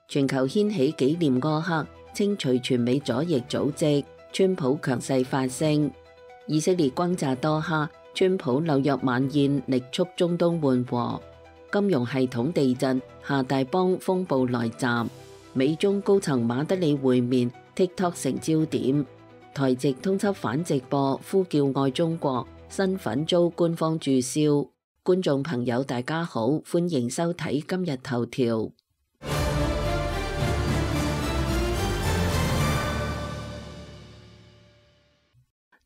全球掀起紀念柯克，清除全美左翼組織，川普強勢發聲。以色列轟炸多哈，川普紐約晚宴力促中東緩和。金融系統地震，下大邦風暴來襲。美中高層馬德里會面 ，TikTok 成焦點。台籍通緝反直播，呼叫愛中國，身份遭官方註銷。觀眾朋友大家好，歡迎收睇今日頭條。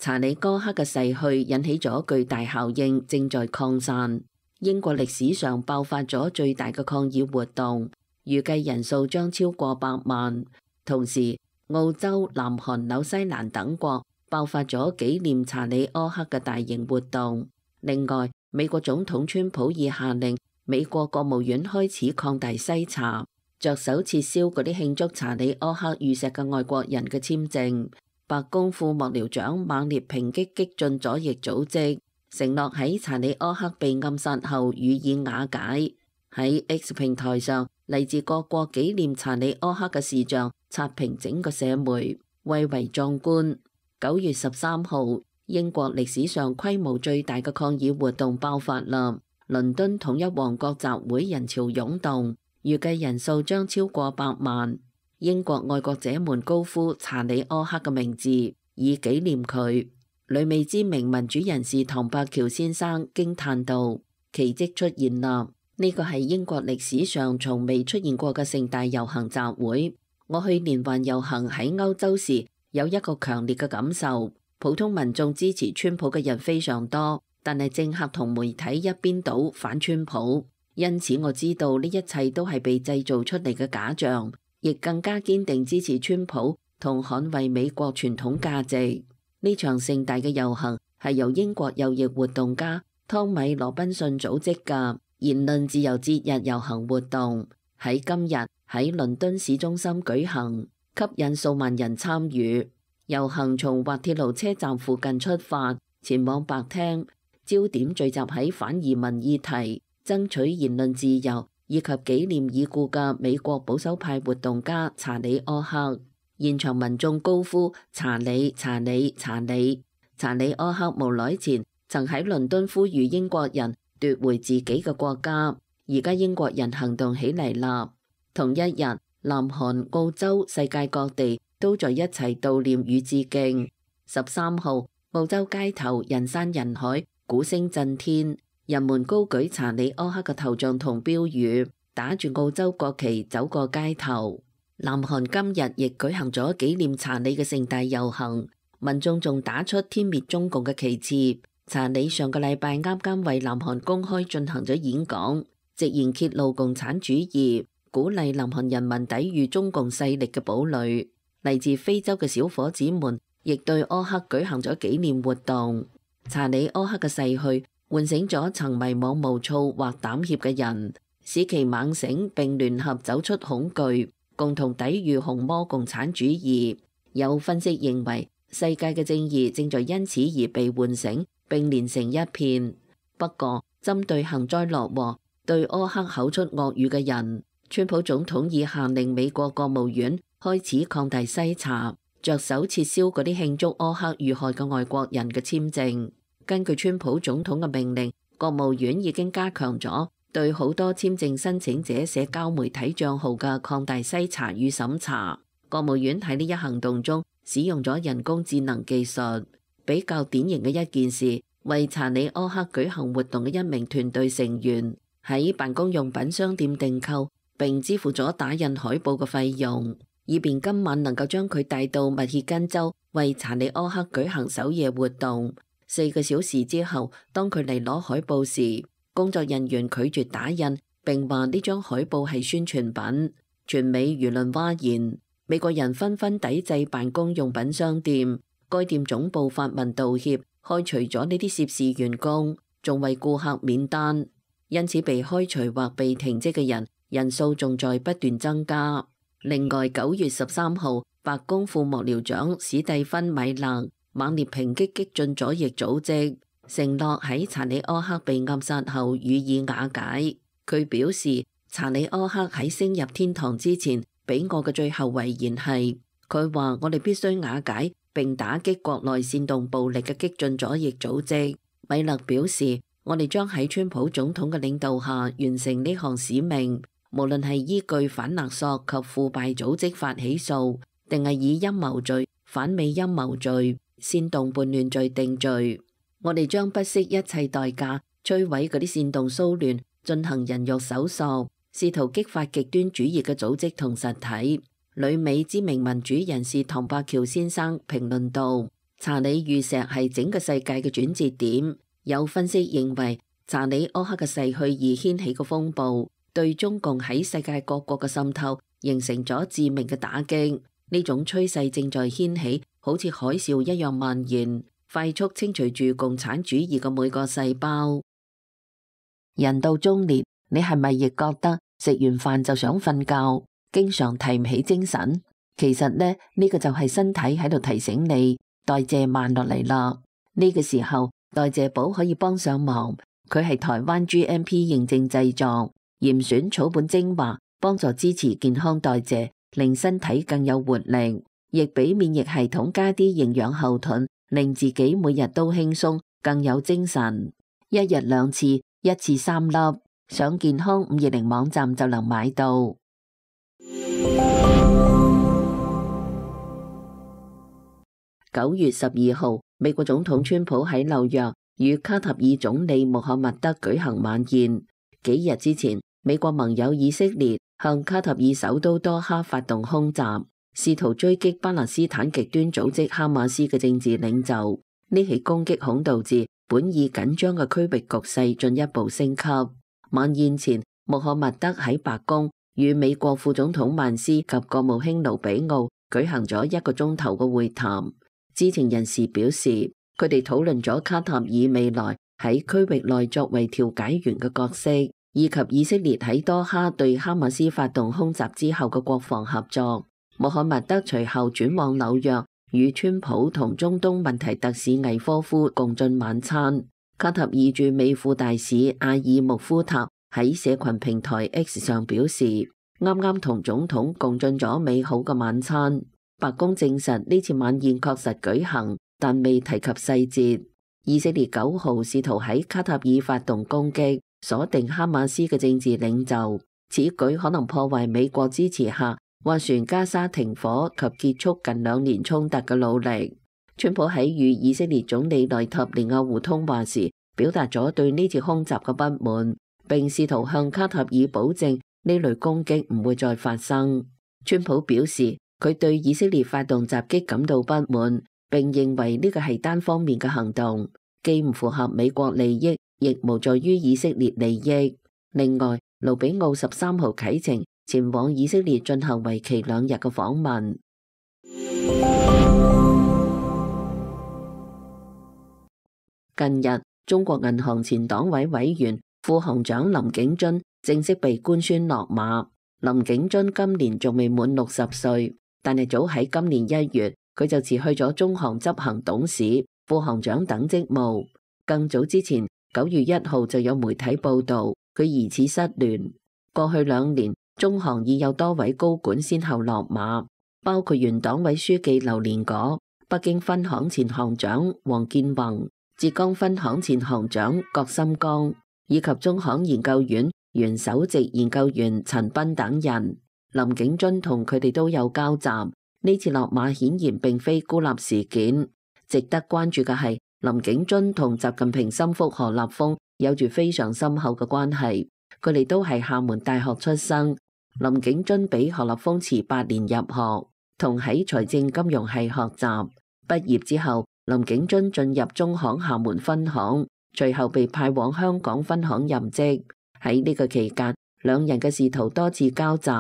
查理柯克嘅逝去引起咗巨大效應，正在擴散。英國歷史上爆發咗最大嘅抗議活動，預計人數將超過100萬。同時，澳洲、南韓、紐西蘭等國爆發咗紀念查理柯克嘅大型活動。另外，美國總統川普已下令美國國務院開始擴大篩查，着手撤銷嗰啲慶祝查理柯克遇刺嘅外國人嘅簽證。白宮副幕僚長猛烈抨擊激進左翼組織，承諾喺查理柯克被暗殺後予以瓦解。喺 X 平台上，嚟自各國紀念查理柯克嘅視像刷屏整個社媒，蔚為壯觀。9月13號，英國歷史上規模最大嘅抗議活動爆發啦！倫敦統一王國集會人潮湧動，預計人數將超過100萬。英國愛國者們高呼查理柯克嘅名字，以紀念佢。旅美知名民主人士唐伯喬先生驚嘆道：奇蹟出現啦！呢個係英國歷史上從未出現過嘅盛大遊行集會。我去年環遊行喺歐洲時，有一個強烈嘅感受，普通民眾支持川普嘅人非常多，但係政客同媒體一邊倒反川普，因此我知道呢一切都係被製造出嚟嘅假象。亦更加堅定支持川普同捍衛美國傳統價值。呢場盛大嘅遊行係由英國右翼活動家湯米羅賓遜組織嘅言論自由節日遊行活動，喺今日喺倫敦市中心舉行，吸引數萬人參與。遊行從滑鐵盧車站附近出發，前往白廳，焦點聚集喺反移民議題、爭取言論自由以及紀念已故嘅美國保守派活動家查理柯克。現場民眾高呼查理查理查理。查理柯克無耐前曾喺倫敦呼籲英國人奪回自己嘅國家，而家英國人行動起嚟啦。同一日，南韓、澳洲、世界各地都在一齊悼念與致敬。13號，澳洲街頭人山人海，鼓聲震天。人們高舉查理柯克嘅頭像同標語，打住澳洲國旗走過街頭。南韓今日亦舉行咗紀念查理嘅盛大遊行，民眾仲打出天滅中共嘅旗幟。查理上個禮拜啱啱為南韓公開進行咗演講，直言揭露共產主義，鼓勵南韓人民抵禦中共勢力嘅堡壘。嚟自非洲嘅小伙子們亦對柯克舉行咗紀念活動。查理柯克嘅逝去喚醒咗曾迷惘無措或膽怯嘅人，使其猛醒並聯合走出恐懼，共同抵禦紅魔共產主義。有分析認為，世界嘅正義正在因此而被喚醒並連成一片。不過，針對幸災樂禍、對柯克口出惡語嘅人，川普總統已下令美國國務院開始擴大篩查，着手撤銷嗰啲慶祝柯克遇害嘅外國人嘅簽證。根據川普總統嘅命令，國務院已經加強咗對好多簽證申請者社交媒體帳號嘅擴大篩查與審查。國務院喺呢一行動中使用咗人工智能技術。比較典型嘅一件事，為查理柯克舉行活動嘅一名團隊成員喺辦公用品商店訂購並支付咗打印海報嘅費用，以便今晚能夠將佢帶到密歇根州為查理柯克舉行首夜活動。4個小時之後，當佢嚟攞海報時，工作人員拒絕打印，並話呢張海報係宣傳品。全美輿論譁然，美國人紛紛抵制辦公用品商店。該店總部發文道歉，開除咗呢啲涉事員工，仲為顧客免單。因此被開除或被停職嘅人數仲在不斷增加。另外，9月13號，白宮副幕僚長史蒂芬米勒猛烈抨擊激進左翼組織，承諾喺查理柯克被暗殺後予以瓦解。佢表示，查理柯克喺升入天堂之前俾我嘅最後遺言係，佢話我哋必須瓦解並打擊國內煽動暴力嘅激進左翼組織。米勒表示，我哋將喺川普總統嘅領導下完成呢項使命，無論係依據反勒索及腐敗組織法起訴，定係以陰謀罪、反美陰謀罪、煽動叛亂罪定罪，我哋將不惜一切代價摧毀嗰啲煽動騷亂、進行人肉搜索、試圖激發極端主義嘅組織同實體。旅美知名民主人士唐伯喬先生評論道，查理遇石係整個世界嘅轉折點。有分析認為，查理柯克嘅逝去而掀起嘅風暴，對中共喺世界各國嘅滲透形成咗致命嘅打擊。呢種趨勢正在掀起，好似海嘯一樣蔓延，快速清除住共產主義嘅每個細胞。人到中年，你係咪亦覺得食完飯就想瞓覺，經常提唔起精神？其實呢個就係身體喺度提醒你代謝慢落嚟啦。呢個時候代謝寶可以幫上忙，佢係台灣 GMP 認證製作，嚴選草本精華，幫助支持健康代謝，令身體更有活力，亦俾免疫系統加啲營養後盾，令自己每日都輕鬆，更有精神。一日2次，一次3粒，上健康520網站就能買到。9月12號，美國總統川普喺紐約與卡塔爾總理穆罕默德舉行晚宴。幾日之前，美國盟友以色列向卡塔爾首都多哈發動空襲，試圖追擊巴勒斯坦極端組織哈馬斯嘅政治領袖。呢起攻擊恐導致本已緊張嘅區域局勢進一步升級。晚宴前，穆罕默德喺白宮與美國副總統曼斯及國務卿盧比奧舉行咗1個鐘頭嘅會談。知情人士表示，佢哋討論咗卡塔爾未來喺區域內作為調解員嘅角色，以及以色列喺多哈對哈馬斯發動空襲之後嘅國防合作。穆罕默德隨後轉往紐約，與川普同中東問題特使魏科夫共進晚餐。卡塔爾駐美副大使阿爾穆夫塔喺社群平台 X 上表示，啱啱同總統共進咗美好嘅晚餐。白宮證實呢次晚宴確實舉行，但未提及細節。以色列9號試圖喺卡塔爾發動攻擊，鎖定哈馬斯嘅政治領袖，此舉可能破壞美國支持下斡旋加沙停火及結束近2年衝突嘅努力。川普喺與以色列總理內塔尼亞胡通話時，表達咗對呢次空襲嘅不滿，並試圖向卡塔爾保證呢類攻擊唔會再發生。川普表示，佢對以色列發動襲擊感到不滿，並認為呢個係單方面嘅行動，既唔符合美國利益，亦無助於以色列利益。另外，盧比奧13號啟程前往以色列進行為期2日嘅訪問。近日，中國銀行前黨委委員、副行長林景津正式被官宣落馬。林景津今年仲未滿60歲。但係早喺今年1月，佢就辭去咗中行執行董事、副行長等職務。更早之前，9月1號就有媒體報道佢疑似失聯。過去2年，中行已有多位高管先後落馬，包括原黨委書記劉連果、北京分行前行長王建宏、浙江分行前行長郭心剛，以及中行研究院原首席研究員陳斌等人。林景津同佢哋都有交集，呢次落馬顯然並非孤立事件。值得關注嘅係，林景津同習近平心腹何立峰有住非常深厚嘅關係，佢哋都係廈門大學出生。林景津比何立峰遲8年入學，同喺財政金融系學習。畢業之後，林景津進入中行廈門分行，隨後被派往香港分行任職。喺呢個期間，兩人嘅仕途多次交集。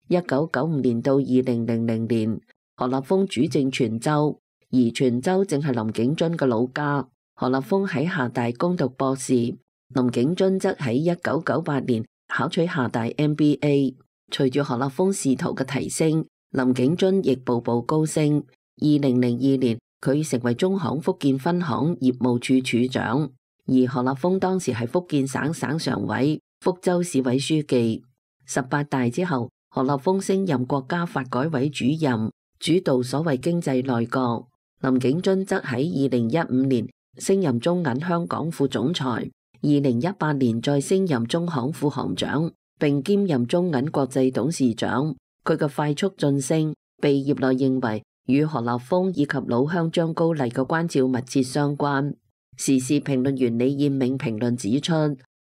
1995年到2000年，何立峰主政泉州，而泉州正係林景津嘅老家。何立峰喺廈大攻讀博士，林景津則喺1998年考取廈大 MBA。隨住何立峰仕途嘅提升，林景津亦步步高升。2002年，佢成為中行福建分行業務處處長，而何立峰當時係福建省省常委、福州市委書記。18大之後，何立峰升任國家發改委主任，主導所謂經濟內閣。林景津則喺2015年升任中銀香港副總裁，2018年再升任中行副行長，並兼任中銀國際董事長。佢嘅快速晉升，被業內認為與何立峰以及老鄉張高麗嘅關照密切相關。時事評論員李燕銘評論指出，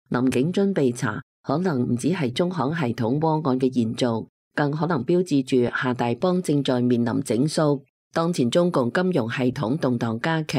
林景津被查可能唔只係中行系統窩案嘅延續，更可能標誌住夏大邦正在面臨整肅。當前中共金融系統動盪加劇，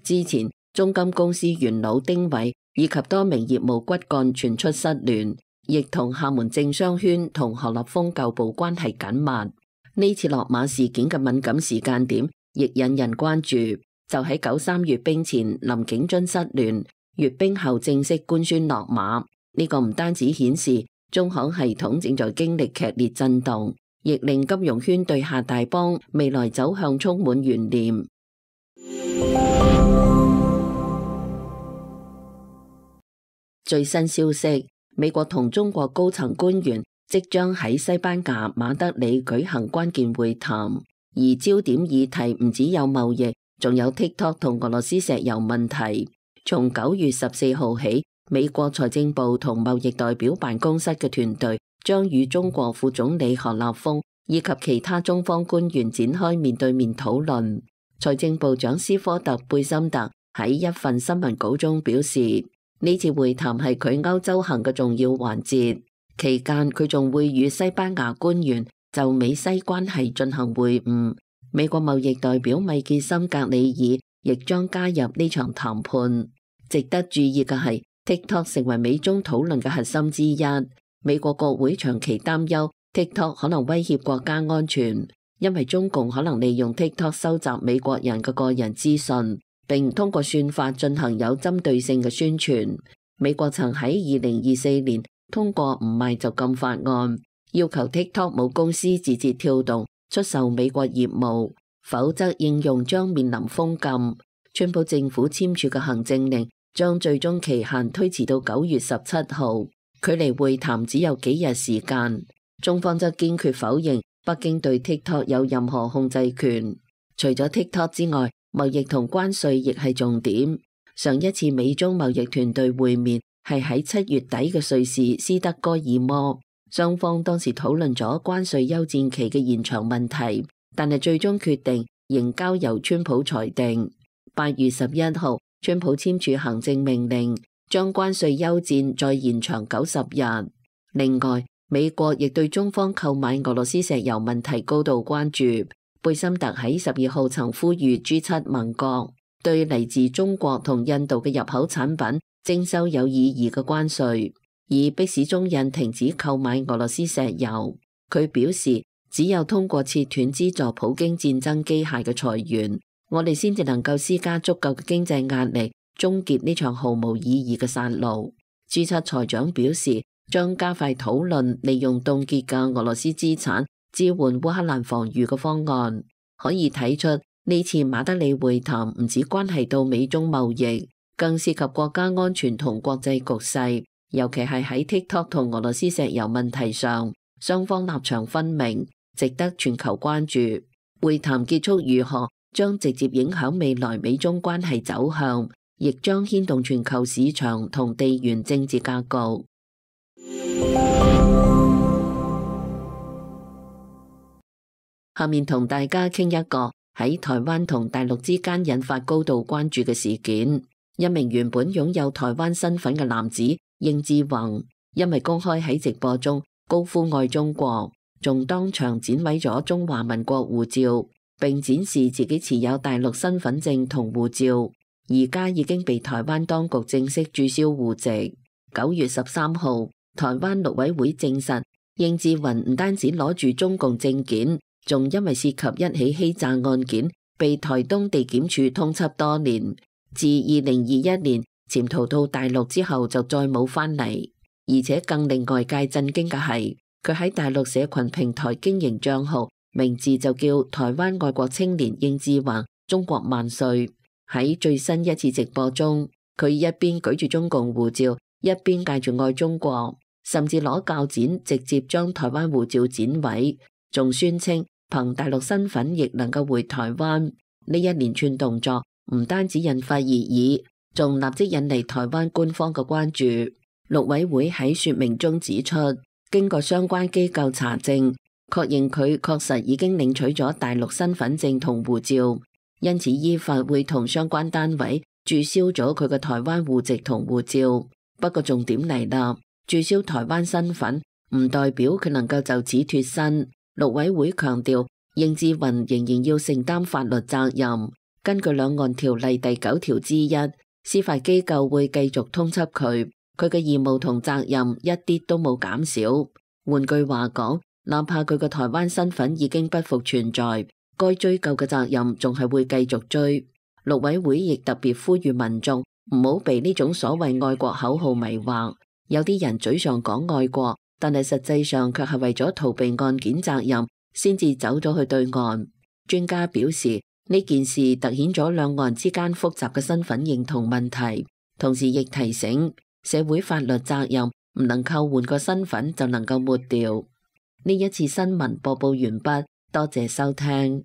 之前中金公司元老丁偉以及多名業務骨幹傳出失聯，亦同廈門政商圈同何立峰舊部關係緊密。呢次落馬事件嘅敏感時間點亦引人關注，就喺93閱兵前林景津失聯，閱兵後正式官宣落馬。呢個唔單止顯示中行系統正在經歷劇烈震動，亦令金融圈對夏大邦未來走向充滿懸念。最新消息，美國同中國高層官員即將喺西班牙馬德里舉行關鍵會談，而焦點議題唔只有貿易，仲有 TikTok 同俄羅斯石油問題。從9月14號起，美國財政部同貿易代表辦公室嘅團隊將與中國副總理何立峰以及其他中方官員展開面對面討論。財政部長斯科特貝森特喺一份新聞稿中表示，呢次會談係佢歐洲行嘅重要環節，期間佢仲會與西班牙官員就美西關係進行會晤。美國貿易代表米傑森格里爾亦將加入呢場談判。值得注意嘅係，TikTok 成為美中討論嘅核心之一。美國國會長期擔憂 TikTok 可能威脅國家安全，因為中共可能利用 TikTok 收集美國人嘅個人資訊，並通過算法進行有針對性嘅宣傳。美國曾喺2024年通過唔賣就禁法案，要求 TikTok 母公司字節跳動出售美國業務，否則應用將面臨封禁。川普政府簽署嘅行政令將最終期限推遲到9月17號，距離會談只有幾日時間。中方則堅決否認北京對 TikTok 有任何控制權。除咗 TikTok 之外，貿易同關稅亦係重點。上一次美中貿易團隊會面係喺7月底嘅瑞士斯德哥爾摩，雙方當時討論咗關稅休戰期嘅延長問題，但係最終決定仍交由川普裁定。8月11號，川普簽署行政命令，將關稅休戰再延長90日。另外，美國亦對中方購買俄羅斯石油問題高度關注。貝森特喺12號曾呼籲 G7 盟國對嚟自中國同印度嘅入口產品徵收有意義嘅關稅，以迫使中印停止購買俄羅斯石油。佢表示，只有通過切斷資助普京戰爭機械嘅財源，我哋先至能夠施加足夠嘅經濟壓力，終結呢場毫無意義嘅殺戮。G7 財長表示，將加快討論利用凍結嘅俄羅斯資產支援烏克蘭防禦嘅方案。可以睇出，呢次馬德里會談唔止關係到美中貿易，更涉及國家安全同國際局勢，尤其係喺 TikTok 同俄羅斯石油問題上，雙方立場分明，值得全球關注。會談結束如何，將直接影響未來美中關係走向，亦將牽動全球市場同地緣政治格局。下面同大家傾一個喺台灣同大陸之間引發高度關注嘅事件。一名原本擁有台灣身份嘅男子應志宏，因為公開喺直播中高呼愛中國，仲當場剪毀咗中華民國護照，並展示自己持有大陸身份證同護照，而家已經被台灣當局正式註銷戶籍。9月13號，台灣陸委會證實，應志宏唔單止攞住中共證件，仲因為涉及一起欺詐案件，被台東地檢署通緝多年。自2021年潛逃到大陸之後，就再冇返嚟。而且更令外界震驚嘅係，佢喺大陸社群平台經營賬號，名字就叫台灣愛國青年應志宏，中國萬歲。喺最新一次直播中，佢一邊舉住中共護照，一邊嗌住愛中國。甚至攞鉸剪直接將台灣護照剪毀，仲宣稱憑大陸身份亦能夠回台灣。呢一連串動作唔單止引發熱議，仲立即引嚟台灣官方嘅關注。陸委會喺說明中指出，經過相關機構查證，確認佢確實已經領取咗大陸身份證同護照，因此依法會同相關單位註銷咗佢嘅台灣戶籍同護照。不過重點嚟啦，註銷台灣身份唔代表佢能夠就此脫身。陸委會強調，應志雲仍然要承擔法律責任。根據兩岸條例第9條之一，司法機構會繼續通緝佢，佢嘅義務同責任一啲都冇減少。換句話講，哪怕佢嘅台灣身份已經不復存在，該追究嘅責任仲係會繼續追。陸委會亦特別呼籲民眾唔好被呢種所謂愛國口號迷惑。有啲人嘴上講愛國，但係實際上卻係為咗逃避案件責任，先至走咗去對岸。專家表示，呢件事凸顯咗兩岸之間複雜嘅身份認同問題，同時亦提醒社會法律責任唔能夠換個身份就能夠抹掉。呢一次新聞播報完畢，多謝收聽。